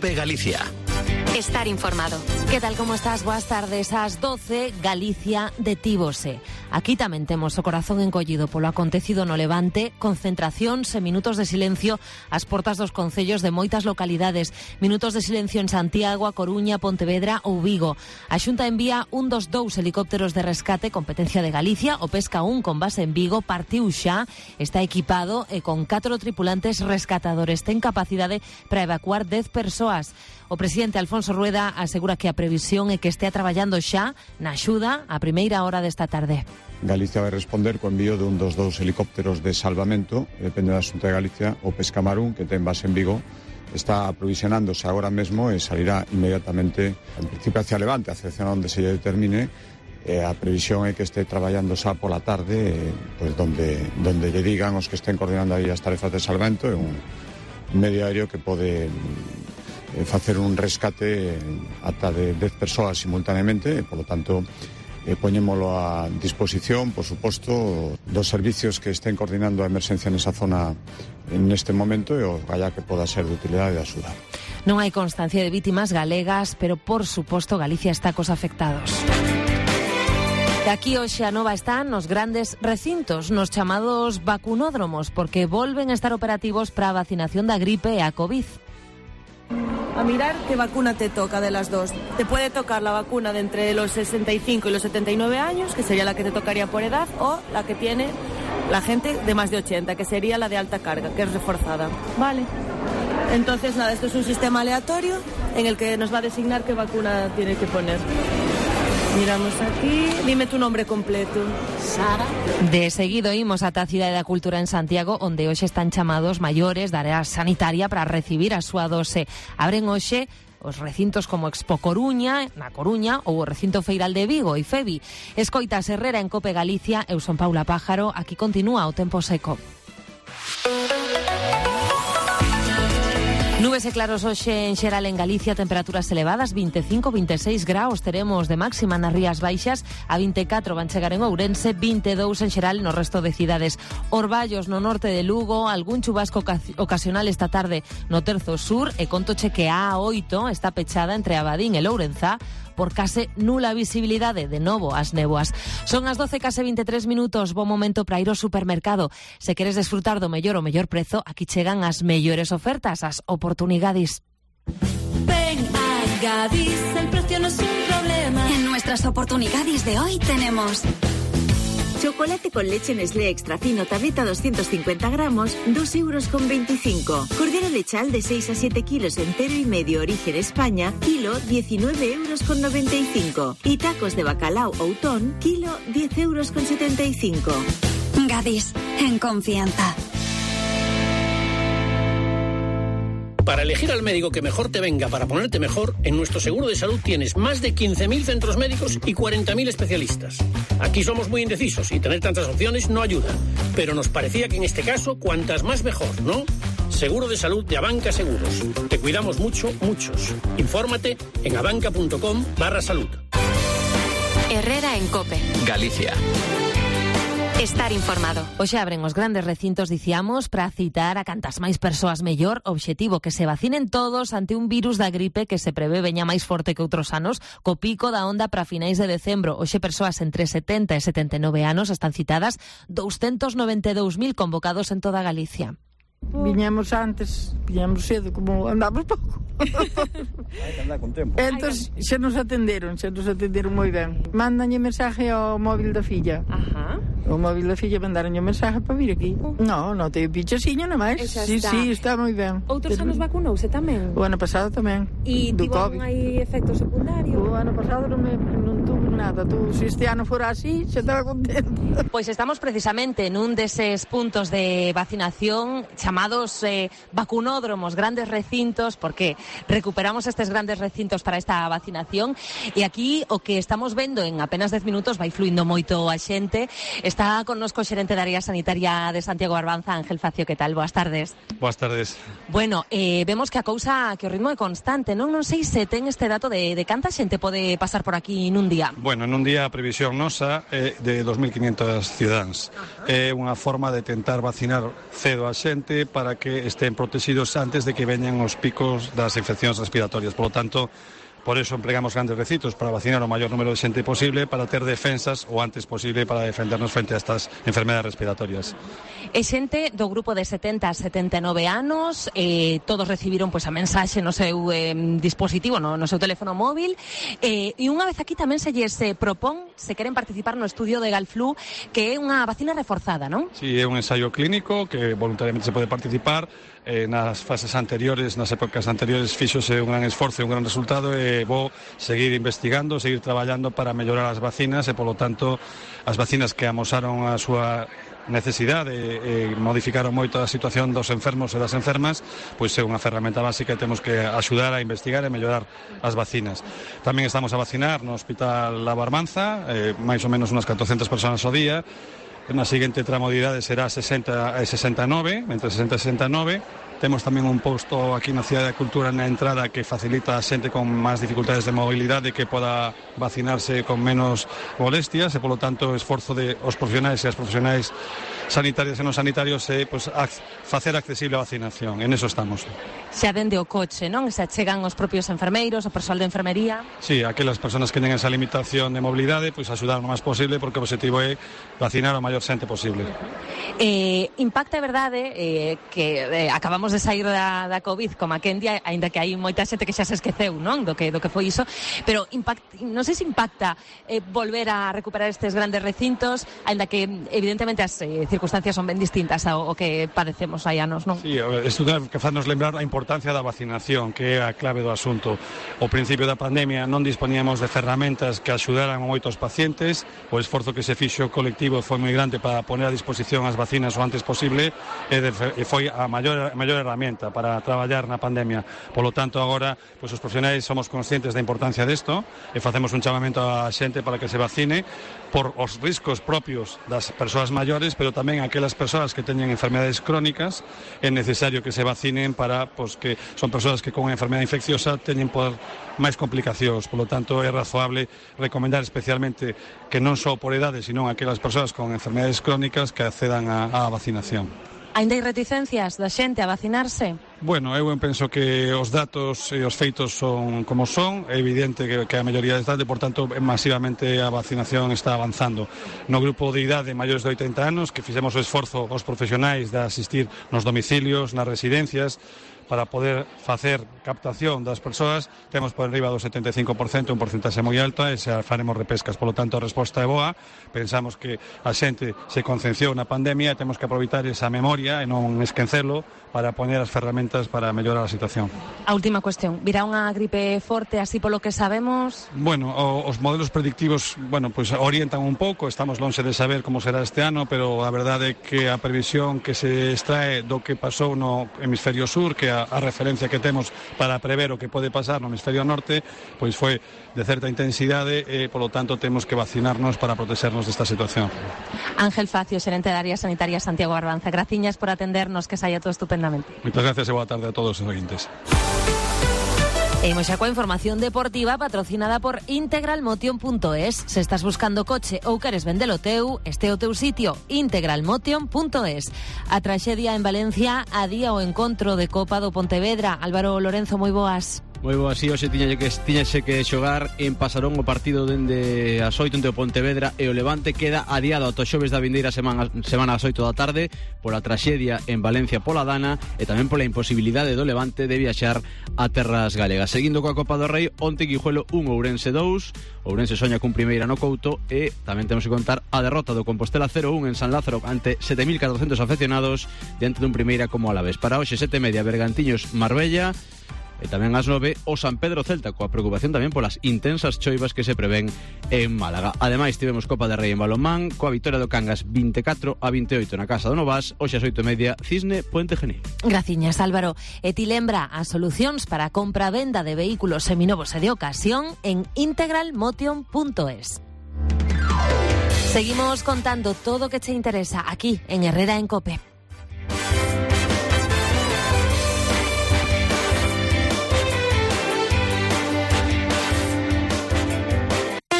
COPE Galicia. Estar informado. Que tal, como estás? Boas tardes. Ás 12, Galicia detívose. Aquí tamén temos o corazón encollido polo acontecido no Levante, concentracións e minutos de silencio ás portas dos concellos de moitas localidades, minutos de silencio en Santiago, A Coruña, Pontevedra ou Vigo. A Xunta envía un dos dous helicópteros de rescate, competencia de Galicia, o Pesca 1 con base en Vigo, partiu xa, está equipado e con 4 tripulantes rescatadores. Ten capacidade para evacuar 10 persoas. O presidente Alfonso Rueda asegura que a previsión é que estea traballando xa na axuda a primeira hora desta tarde. Galicia vai responder co envío de un dos dous helicópteros de salvamento, depende da Xunta de Galicia. O Pescamarún, que ten base en Vigo, está aprovisionándose agora mesmo e salirá inmediatamente, en principio hacia Levante, hacia onde se lle determine. A previsión é que este traballando xa pola tarde, pois donde lle digan os que estén coordinando aí as tarefas de salvamento. É un medio aéreo que pode facer un rescate ata de 10 persoas simultaneamente, e, polo tanto, poñémolo a disposición, por suposto, dos servicios que estén coordinando a emerxencia nesa zona neste momento, e o galla que poda ser de utilidade e de axuda. Non hai constancia de vítimas galegas, pero, por suposto, Galicia está cos afectados. E aquí hoxe a nova están nos grandes recintos, nos chamados vacunódromos, porque volven a estar operativos para a vacinación da gripe e a COVID. A mirar qué vacuna te toca de las dos. Te puede tocar la vacuna de entre los 65 y los 79 años, que sería la que te tocaría por edad, o la que tiene la gente de más de 80, que sería la de alta carga, que es reforzada. Vale. Entonces, nada, esto es un sistema aleatorio en el que nos va a designar qué vacuna tiene que poner. Miramos aquí. Dime tu nombre completo. Sara. De seguido imos ata a Cidade da Cultura en Santiago, onde hoxe están chamados maiores da área sanitaria para recibir a súa dose. Abren hoxe os recintos como Expo Coruña, na Coruña, ou o recinto feiral de Vigo e Fevi. Escoitas Herrera en Cope Galicia, eu son Paula Pájaro, aquí continúa o tempo seco. Nubes e claros hoxe en xeral en Galicia, temperaturas elevadas, 25-26 graus teremos de máxima nas Rías Baixas, a 24 van chegar en Ourense, 22 en xeral no resto de cidades. Orballos no norte de Lugo, algún chubasco ocasional esta tarde no terzo sur, e contoche que a A8 está pechada entre Abadín e Lourenzá por case nula visibilidade, de novo as néboas. Son as 12 case 23 minutos, bo momento para ir ao supermercado. Se queres desfrutar do mellor o mellor prezo, aquí chegan as mellores ofertas, as oportunidades. Ven a Gadis, el precio no es un problema. En nuestras oportunidades de hoy tenemos chocolate con leche Nestlé extra fino, tableta 250 gramos, 2,25 €. Cordero lechal de 6 a 7 kilos entero y medio, origen España, kilo 19,95 €. Y tacos de bacalao Outón, kilo 10,75 €. Gadis, en confianza. Para elegir al médico que mejor te venga para ponerte mejor, en nuestro seguro de salud tienes más de 15.000 centros médicos y 40.000 especialistas. Aquí somos muy indecisos y tener tantas opciones no ayuda. Pero nos parecía que en este caso, cuantas más mejor, ¿no? Seguro de salud de Abanca Seguros. Te cuidamos mucho, muchos. Infórmate en abanca.com/salud. Herrera en Cope Galicia. Estar informado. Hoxe abren os grandes recintos, dicíamos, para citar a cantas máis persoas mellor. Obxectivo, que se vacinen todos ante un virus da gripe que se prevé veña máis forte que outros anos, co pico da onda para finais de decembro. Hoxe persoas entre 70 e 79 anos están citadas, 292.000 convocados en toda Galicia. Viñamos antes, viñamos cedo, como andamos pouco. Hai que andar con tempo. Entón, xa nos atenderon moi ben. Mándanlle mensaje ao móvil da filla. Ajá. O móvil da filla mandaronlle mensaje para vir aquí. No teño pichasiño namais. Sí, está moi ben. Outros anos vacunouse tamén? O ano pasado tamén. E tivo hai efectos secundarios? O ano pasado non tuvo nada. Se este ano fora así, xa estaba contento. Pois estamos precisamente nun deses puntos de vacinación chamados vacunódromos, grandes recintos, porque recuperamos estes grandes recintos para esta vacinación, e aquí o que estamos vendo en apenas 10 minutos vai fluindo moito a xente. Está connosco o xerente da área sanitaria de Santiago Barbanza, Ángel Facio. Que tal? Boas tardes. Boas tardes. Bueno, vemos que o ritmo é constante, non sei se ten este dato de canta xente pode pasar por aquí nun día. Bueno, nun día a previsión nosa é de 2.500 cidadáns. É unha forma de tentar vacinar cedo a xente para que estén protegidos antes de que veñan os picos das infeccións respiratorias. Por lo tanto, por eso empregamos grandes recintos para vacinar o maior número de xente posible, para ter defensas o antes posible para defendernos frente a estas enfermedades respiratorias. E xente do grupo de 70 a 79 anos, todos recibiron pois a mensaxe no seu dispositivo, no seu teléfono móvil, e unha vez aquí tamén se lles propón, se queren participar no estudio de Galflu, que é unha vacina reforzada, non? Sí, é un ensaio clínico que voluntariamente se pode participar. Nas fases anteriores, nas épocas anteriores, fíxose un gran esforzo e un gran resultado, e vou seguir investigando, seguir traballando para mellorar as vacinas, e polo tanto as vacinas que amosaron a súa necesidade e modificaron moito a situación dos enfermos e das enfermas, pois é unha ferramenta básica e temos que axudar a investigar e mellorar as vacinas. Tamén estamos a vacinar no Hospital La Barbanza, máis ou menos unas 400 personas ao día. Na seguinte tramo de idade será 60 e 69, entre 60 e 69. Temos tamén un posto aquí na Cidade da Cultura na entrada que facilita a xente con máis dificultades de mobilidade que poda vacinarse con menos molestias, e polo tanto o esforzo de os profesionais e as profesionais sanitarias e non sanitarios é facer accesible a vacinación. En eso estamos. Xa dende o coche, non? Se achegan os propios enfermeiros, o persoal de enfermería. Sí, aquelas persoas que teñen esa limitación de mobilidade, pois axudar o máis posible, porque o objetivo é vacinar o maior xente posible. Impacta, é verdade, que acabamos de sair da COVID como a Kendia, aínda que hai moita xente que xa se esqueceu, non? Do que foi iso, pero non sei se impacta volver a recuperar estes grandes recintos, aínda que evidentemente as circunstancias son ben distintas ao que padecemos hai anos, non? Sí, isto que fanos lembrar a importancia da vacinación, que é a clave do asunto. Ao principio da pandemia non disponíamos de ferramentas que axudaran a moitos pacientes, o esforzo que se fixo colectivo foi moi grande para poner a disposición as vacinas o antes posible, e foi a maior herramienta para traballar na pandemia. Por lo tanto, agora, pois os profesionais somos conscientes da importancia desto e facemos un chamamento á xente para que se vacine por os riscos propios das persoas maiores, pero tamén aquelas persoas que teñen enfermedades crónicas. É necesario que se vacinen para, pois, que son persoas que con unha enfermedade infecciosa teñen máis complicacións. Por lo tanto, é razoable recomendar especialmente que non só por edade, sino aquelas persoas con enfermedades crónicas que accedan á vacinación. Aínda hai reticencias da xente a vacinarse? Bueno, eu penso que os datos e os feitos son como son. É evidente que a maioría de idade, por tanto, masivamente a vacinación está avanzando. No grupo de idade maiores de 80 anos, que fixemos o esforzo os profesionais de asistir nos domicilios, nas residencias, para poder facer captación das persoas, temos por enriba do 75%, un porcentaxe moi alto, e xa faremos repescas. Por lo tanto, a resposta é boa. Pensamos que a xente se concienciou na pandemia e temos que aproveitar esa memoria e non esquecelo para poñer as ferramentas para mellorar a situación. A última cuestión, virá unha gripe forte así polo que sabemos? Bueno, os modelos predictivos, pois orientan un pouco, estamos lonxe de saber como será este ano, pero a verdade é que a previsión que se extrae do que pasou no hemisferio sur, que a referencia que temos para prever o que pode pasar no hemisferio norte, pois foi de certa intensidade e, polo tanto, temos que vacinarnos para protegernos desta situación. Ángel Facio, xerente da área sanitaria Santiago Barbanza, graciñas por atendernos, que saia todo estupendamente. Moitas gracias e boa tarde a todos os seguintes. E imos xa coa información deportiva patrocinada por integralmotion.es. Se estás buscando coche ou queres vendelo teu, este é o teu sitio, integralmotion.es. A traxedia en Valencia adía o encontro de Copa do Pontevedra. Álvaro Lorenzo, moi boas. Moi boa, así, hoxe tiñase que xogar en Pasarón o partido dende as 8 entre o Pontevedra e o Levante. Queda adiado ata xoves da vindeira semana ás 8 da tarde pola traxedia en Valencia pola Dana e tamén pola imposibilidade do Levante de viaxar a terras galegas. Seguindo coa Copa do Rei, onte Guijuelo 1, Ourense 2. Ourense soña cun primeira no Couto e tamén temos que contar a derrota do Compostela 0-1 en San Lázaro ante 7.400 afeccionados diante dun primeira como Alavés. Para hoxe 7:30 Bergantiños Marbella. E tamén ás 9 o San Pedro Celta, coa preocupación tamén polas intensas choivas que se prevén en Málaga. Ademais, tivemos Copa de Rei en balonmán, coa vitoria do Cangas 24-28 na Casa do Novas, hoxe ás 8:30 Cisne Puente Genil. Graciñas, Álvaro. E ti lembra as solucións para a compra-venda de vehículos seminovos e de ocasión en integralmotion.es. Seguimos contando todo o que te interesa aquí en Herrera en COPE.